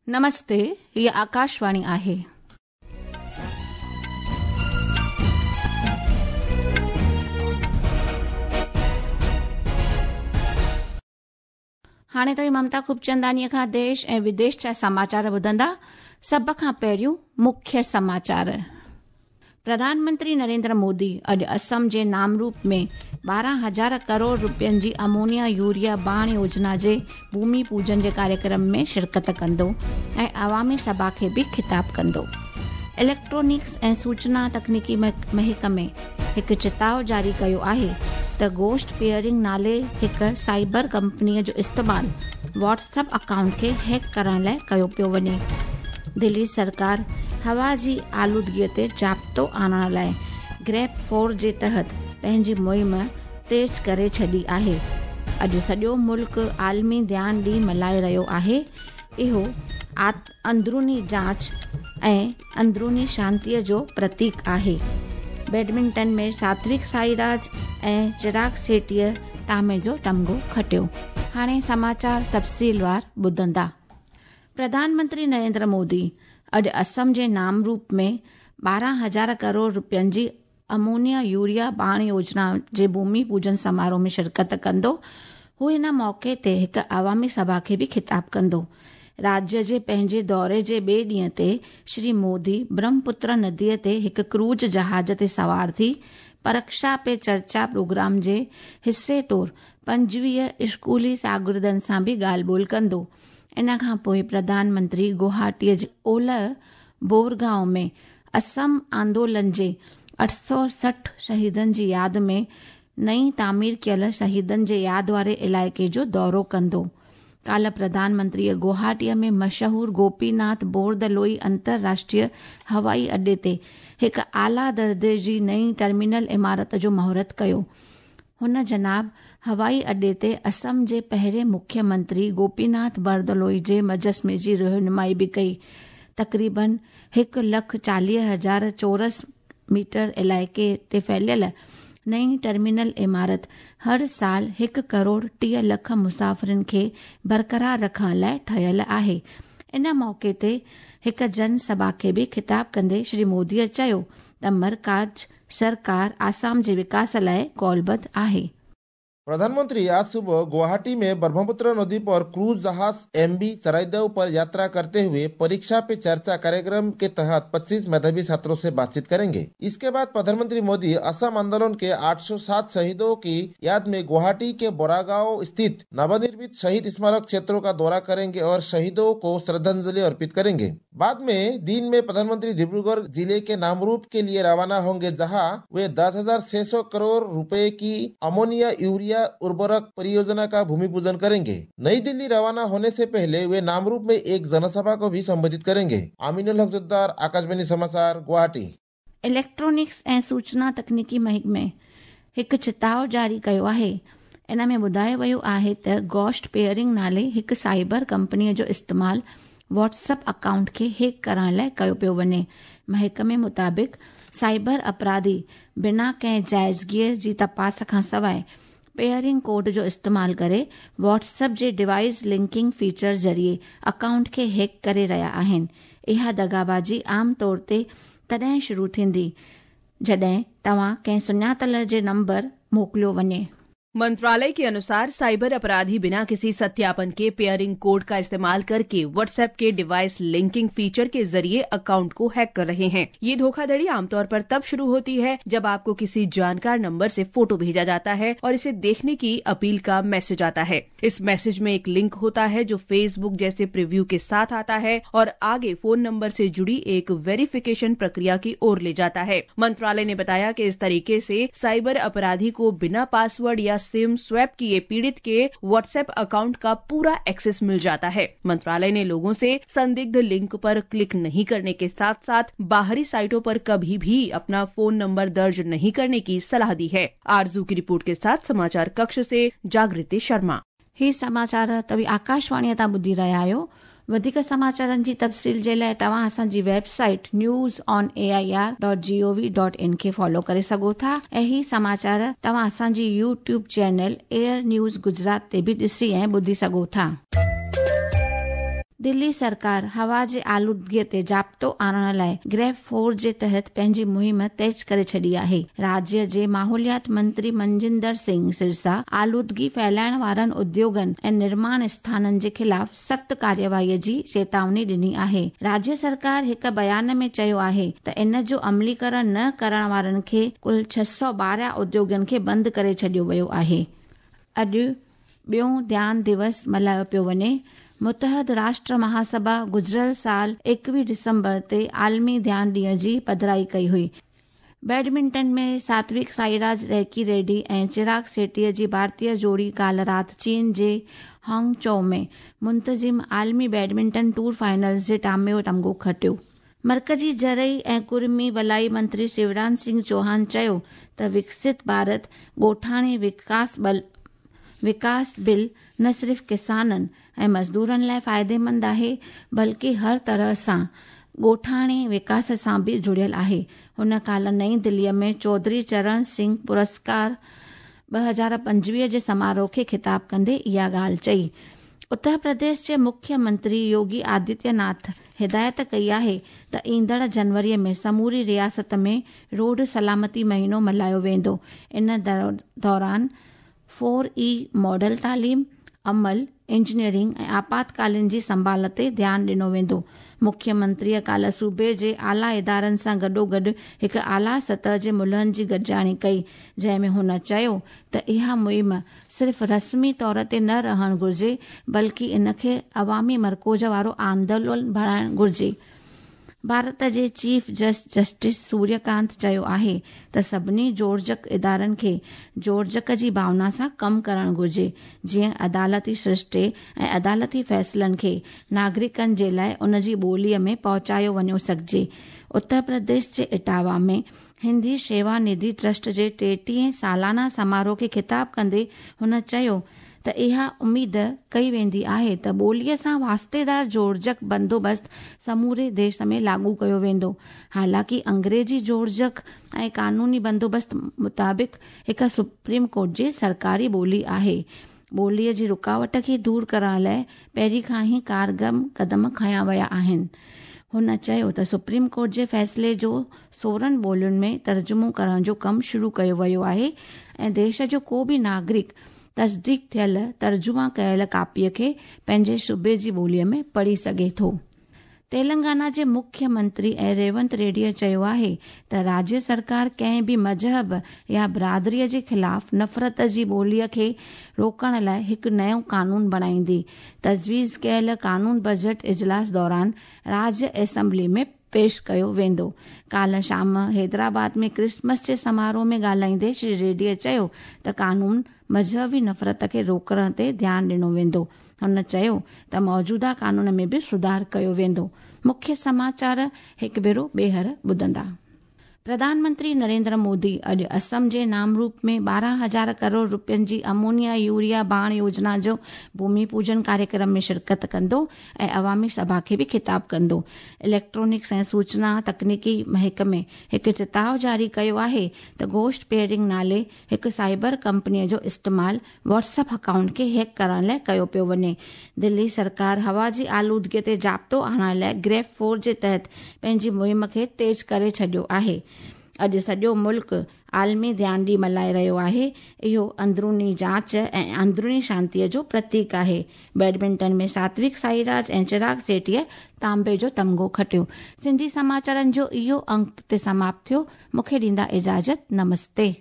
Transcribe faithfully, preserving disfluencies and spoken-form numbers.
नमस्ते, हीअ आकाशवाणी आहे। हाणे तव्हीं ममता खूबचंदानीअ खां देश ऐं विदेश जा समाचार ॿुधंदा। सभ खां पहिरियों मुख्य समाचार। प्रधानमंत्री नरेंद्र मोदी अॼु असम जे नामरूप में ॿारहं हज़ार करोड़ रुपयनि जी अमोनिया यूरिया बाण योजना जे भूमि पूजन जे कार्यक्रम में शिरकत कंदो ऐं अवामी सभा खे बि ख़िताब कंदो। इलेक्ट्रॉनिक्स ऐं सूचना तकनीकी महकमे हिकु चिताव जारी कयो आहे त गोस्ट पेयरिंग नाले हिकु साइबर कंपनीअ जो इस्तेमालु व्हाट्सएप अकाउंट खे हैक करण लाइ कयो पियो वञे। दिल्ली सरकार हवा जी आलूदगीअ ते ज़ाब्तो आणण लाइ ग्रेप फोर जे तहत पंहिंजी मुहिम तेज़ करे छॾी आहे। अॼु सॼो मुल्क आलमी ध्यान ॾींहुं मल्हाए रहियो आहे। इहो अंदरूनी जांच ऐं अंदरूनी शांतीअ जो प्रतीक आहे। बैडमिंटन में सात्विक साईराज ऐं चिराग शेट्टीअ तांबे जो तमगो खटियो। हाणे समाचार तफ़सीलवार ॿुधंदा। प्रधानमंत्री नरेंद्र मोदी अॼु असम जे नामरूप में ॿारहं हज़ार करोड़ रुपयनि जी अमोनिया यूरिया बाण योजना जे भूमि पूजन समारोह में शिरकत कंदो। हू हिन मौक़े ते हिकु अवामी सभा खे बि ख़िताब कंदो। राज्य जे पंहिंजे दौरे जे ॿिए ॾींहं ते श्री मोदी ब्रह्मपुत्र नदीअ ते हिकु क्रूज जहाज़ ते सवार थी परीक्षा पे चर्चा प्रोग्राम जे हिसे तौर पंजवीह स्कूली शागिर्दनि सां बि ॻाल्हि ॿोल कंदो। इन खां पोइ प्रधानमंत्री गुवाहाटीअ जे ओलह बोरगांव में असम आंदोलन जे अठ सौ सठि शहीदनि जी यादि में नई तामीर कयल शहीदनि जे यादि वारे इलाइक़े जो दौरो कंदो। काल्ह प्रधानमंत्रीअ गुवाहाटीअ में मशहूर गोपीनाथ बोरदलोई अंतरराष्ट्रीय हवाई अॾे ते हिकु आला दर्जे जी नई टर्मिनल इमारत जो मुहूर्त कयो। हुन जनाब हवाई अॾे ते असम जे पहिरें मुख्यमंत्री गोपीनाथ बरदलोई जे मुजस्मे जी रहनुमाई बि कई। तक़रीबन हिकु लख चालीह हज़ार चौरस मीटर इलाइक़े ते फैलियल नई टर्मिनल इमारत हर साल हिकु करोड़ टीह लख मुसाफ़िरनि खे बरक़रार रखण लाइ ठहियल आहे। इन मौक़े ते हिकु जनसभा खे बि ख़िताब कंदे श्री मोदीअ चयो त मरकज़ सरकार आसाम जे विकास लाइ कौलबद्ध आहे। प्रधानमंत्री आज सुबह गुवाहाटी में ब्रह्मपुत्र नदी पर क्रूज जहाज एमवी चराईदेव पर यात्रा करते हुए परीक्षा पे चर्चा कार्यक्रम के तहत पच्चीस मेधावी छात्रों से बातचीत करेंगे। इसके बाद प्रधानमंत्री मोदी असम आंदोलन के आठ सौ सात शहीदों की याद में गुवाहाटी के बोरागांव स्थित नवनिर्मित शहीद स्मारक क्षेत्रों का दौरा करेंगे और शहीदों को श्रद्धांजलि अर्पित करेंगे। बाद में दिन में प्रधानमंत्री डिब्रूगढ़ जिले के नामरूप के लिए रवाना होंगे, जहाँ वे दस हजार छह सौ करोड़ रुपए की अमोनिया यूरिया उर्वरक परियोजना का भूमि पूजन करेंगे। नई दिल्ली रवाना होने से पहले वे नामरूप में एक जनसभा को भी संबोधित करेंगे। आमिनुल हक जोद्दार, आकाशवाणी समाचार, गुवाहाटी। इलेक्ट्रॉनिक्स ऐं सूचना तकनीकी महकमे हिकु चिताव जारी कयो आहे। इन में ॿुधायो वियो आहे त गोस्ट पेयरिंग नाले हिकु साइबर कंपनीअ जो इस्तेमालु व्हाट्सएप अकाउंट खे हैक करण लाइ कयो पियो वञे। महकमे मुताबिक़ साइबर अपराधी बिना कंहिं जाइज़गीअ जी तपास खां सवाइ पेयरिंग कोड जो इस्तेमालु करे व्हाट्सएप जे डिवाइस लिंकिंग फीचर ज़रिए अकाउंट खे हैक करे रहिया आहिनि। इहा दगाबाजी आम तौर ते तॾहिं शुरू थींदी जॾहिं तव्हां कंहिं सुञातल जे नंबर मोकिलियो वञे। मंत्रालय के अनुसार साइबर अपराधी बिना किसी सत्यापन के पेयरिंग कोड का इस्तेमाल करके व्हाट्सएप के डिवाइस लिंकिंग फीचर के जरिए अकाउंट को हैक कर रहे हैं। ये धोखाधड़ी आमतौर पर तब शुरू होती है जब आपको किसी जानकार नंबर से फोटो भेजा जाता है और इसे देखने की अपील का मैसेज आता है। इस मैसेज में एक लिंक होता है जो फेसबुक जैसे प्रीव्यू के साथ आता है और आगे फोन नंबर से जुड़ी एक वेरिफिकेशन प्रक्रिया की ओर ले जाता है। मंत्रालय ने बताया कि इस तरीके से साइबर अपराधी को बिना पासवर्ड या सिम स्वैप किए पीड़ित के व्हाट्सएप अकाउंट का पूरा एक्सेस मिल जाता है। मंत्रालय ने लोगों से संदिग्ध लिंक पर क्लिक नहीं करने के साथ साथ बाहरी साइटों पर कभी भी अपना फोन नंबर दर्ज नहीं करने की सलाह दी है। आरजू की रिपोर्ट के साथ समाचार कक्ष से जागृति शर्मा। ही समाचार तव्हीं आकाशवाणीअ तां ॿुधी रहिया आहियो। वधीक समाचारनि जी तफ़सील जे लाइ तव्हां असांजी website news on A I R dot G O V dot in खे फॉलो करे सघो था ऐं ही समाचार तव्हां असांजी YouTube channel air news Gujarat ते बि ॾिसी ऐं ॿुधी सघो था। दिल्ली सरकार हवा जे आलूदगीअ ते ज़ाब्तो आणण लाइ ग्रेप फोर जे तहत पंहिंजी मुहिम तेज़ करे छॾी आहे। राज्य जे माहौलियात मंत्री मनजिंदर सिंह सिरसा आलूदगी फैलाइण वारनि उद्योगनि ऐं निर्माण स्थाननि जे ख़िलाफ़ सख़्त कार्यवाहीअ जी चेतावनी ॾिनी आहे। राज्य सरकार हिकु बयान में चयो आहे त इन जो अमलीकरण न करण वारनि खे कुल छह सौ ॿारहं उद्योगनि खे बंदि करे छॾियो वियो आहे। अॼु ॿियो ध्यान दिवस मल्हायो पियो वञे। मुतहद राष्ट्र महासभा गुज़िरियल साल एकवीह दिसंबर ते आलमी ध्यान ॾींहं जी पधराई कई हुई। बैडमिंटन में सात्विक साईराज रैकी रेड्डी ऐं चिराग शेट्टीअ जी भारतीय जोड़ी काल्ह राति चीन जे हांगचो में मुंतज़िम आलमी बैडमिंटन टूर फाइनल्स जे टामे जो तमगो खटियो। मर्कज़ी ज़रई ऐं कुर्मी भलाई मंत्री शिवराज सिंह चौहान चयो त विकसित भारत ॻोठाणे विकास बल विकास बिल न सिर्फ़ किसाननि ऐं मज़दूरनि लाइ फ़ाइदेमंद आहे बल्कि हर तरह सां ॻोठाणे विकास सां बि जुड़ियल आहे। हुन काल्ह नई दिल्लीअ में चौधरी चरण सिंह पुरस्कार ॿ हज़ार पंजवीह जे समारोह खे ख़िताब कंदे इहा ॻाल्हि चई। उत्तर प्रदेश जे मुख्यमंत्री योगी आदित्यनाथ हिदायत कई आहे त ईंदड़ जनवरीअ में समूरी रियासत में रोड सलामती महीनो मल्हायो वेंदो। इन दौरान फोर ई मॉडल तालीम, अमल, इंजीनियरिंग ऐं आपातकालीन जी संभाल ते ध्यानु ॾिनो वेंदो। मुख्यमंत्रीअ काल्ह सूबे जे आला इदारनि सां गॾोगॾु हिकु आला सतह जे मुलहनि जी गॾिजाणी कई, जंहिं में हुन चयो त इहा मुहिम सिर्फ़ रस्मी तौर ते न रहणु घुरिजे बल्कि इन खे अवामी मरकोज़ वारो आंदोलन बणाइणु घुरिजे। भारत जे चीफ जज जस्टिस सूर्यकांत चयो आहे त सभिनी जोड़जक इदारनि खे जोड़जक जी भावना सां कमु करणु घुरिजे, जीअं अदालती सृष्टे ऐं अदालती फ़ैसिलनि खे नागरिकनि जे लाइ उन जी ॿोलीअ में पहुचायो वञो सघिजे। उत्तर प्रदेश जे इटावा में हिंदी शेवा निधि ट्रस्ट जे टेटीह सालाना समारोह खे ख़िताब कंदे हुन चयो त इहा उमेद कई वेंदी आहे त ॿोलीअ सां वास्तेदार जोड़जक बंदोबस्त समूरे देश में लागू कयो वेंदो। हालांकि अंग्रेजी जोड़जक ऐं कानूनी बंदोबस्त मुताबिक़ हिकु सुप्रीम कोर्ट जी सरकारी ॿोली आहे। ॿोलीअ जी रुकावट खे दूर करण लाइ पहिरीं खां ई कारगर कदम खयां विया आहिनि। हुन चयो त सुप्रीम कोर्ट जे फ़ैसिले जो सोरहं ॿोलियुनि में तर्जुमो करण जो कमु शुरू कयो वियो आहे ऐं देश जो को बि नागरिक तस्दीक थियल तर्जुमा कयल कापीअ खे पंहिंजे सूबे जी ॿोलीअ में पढ़ी सघे थो। तेलंगाना जे मुख्यमंत्री ऐं रेवंत रेड्डीअ चयो आहे त राज्य सरकार कंहिं बि मज़हब या बिरादरीअ जे ख़िलाफ़ नफ़रत जी ॿोलीअ खे रोकण लाइ हिकु नयो कानून बणाईंदी। तजवीज़ कयल कानून बजट इजलास दौरान राज्य असेंबली में पेश कयो वेंदो। काल्ह शाम हैदराबाद में क्रिसमस जे समारोह में ॻाल्हाईंदे श्री रेड्डीअ चयो त कानून मज़हबी नफ़रत खे रोकण ते ध्यानु ॾिनो वेंदो। हुन चयो त मौजूदा कानून में बि सुधार कयो वेंदो। मुख्य समाचार हिकु भेरो ॿीहर ॿुधंदा। प्रधानमंत्री नरेंद्र मोदी अॼु असम जे नामरूप में ॿारहं हज़ार करोड़ रुपयनि जी अमोनिया यूरिया बाण योजना जो भूमि पूजन कार्यक्रम में शिरकत कंदो ऐं अवामी सभा खे बि ख़िताब कंदो। इलेक्ट्रॉनिक्स ऐं सूचना तकनीकी महकमे हिकु चिताव जारी कयो आहे त गोश्ट पेयरिंग नाले हिकु साइबर कंपनीअ जो इस्तेमालु व्हाट्सएप अकाउंट खे हैक करण लाइ कयो पियो वञे। दिल्ली सरकार हवा जी आलूदगीअ ते ज़ाब्तो आणण लाइ ग्रेप फोर जे तहत पंहिंजी मुहिम खे तेज़ करे छॾियो आहे। अॼु सॼो मुल्क आलमी ध्यान ॾींहुं मल्हाए रहियो आहे। इहो अंदरूनी जांच ऐं अंदरूनी शांतीअ जो प्रतीक आहे। बैडमिंटन में सात्विक साईराज ऐं चिराग सेठीअ तांबे जो तमगो खटियो। सिंधी समाचारनि जो इहो अंक ते समाप्त थियो। मूंखे ॾींदा इजाज़त। नमस्ते।